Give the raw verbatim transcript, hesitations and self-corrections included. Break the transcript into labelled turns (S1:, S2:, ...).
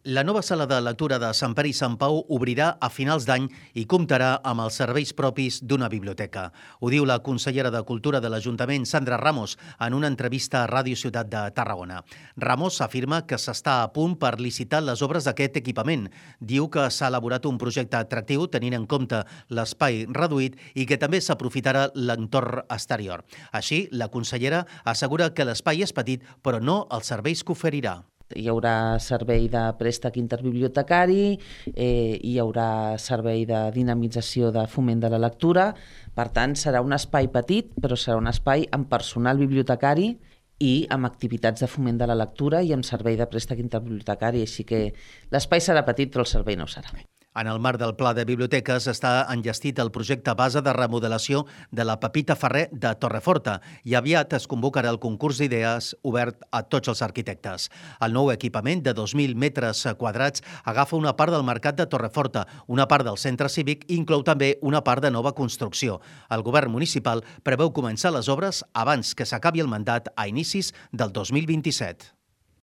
S1: La nova sala de lectura de Sant Pere i Sant Pau obrirà a finals d'any i comptarà amb els serveis propis d'una biblioteca. Ho diu la consellera de Cultura de l'Ajuntament, Sandra Ramos, en una entrevista a Ràdio Ciutat de Tarragona. Ramos afirma que s'està a punt per licitar les obres d'aquest equipament. Diu que s'ha elaborat un projecte atractiu tenint en compte l'espai reduït i que també s'aprofitarà l'entorn exterior. Així, la consellera assegura que l'espai és petit, però no els serveis que oferirà.
S2: Hi haurà servei de préstec interbibliotecari, eh, hi haurà servei de dinamització de foment de la lectura. Per tant, serà un espai petit, però serà un espai amb personal bibliotecari i amb activitats de foment de la lectura i amb servei de préstec interbibliotecari. Així que l'espai serà petit, però el servei no ho serà.
S1: En el marc del Pla de Biblioteques està enllestit el projecte base de remodelació de la Pepita Ferrer de Torreforta i aviat es convocarà el concurs d'idees obert a tots els arquitectes. El nou equipament de dos mil metres quadrats agafa una part del mercat de Torreforta, una part del centre cívic i inclou també una part de nova construcció. El govern municipal preveu començar les obres abans que s'acabi el mandat a inicis del dos mil vint-i-set.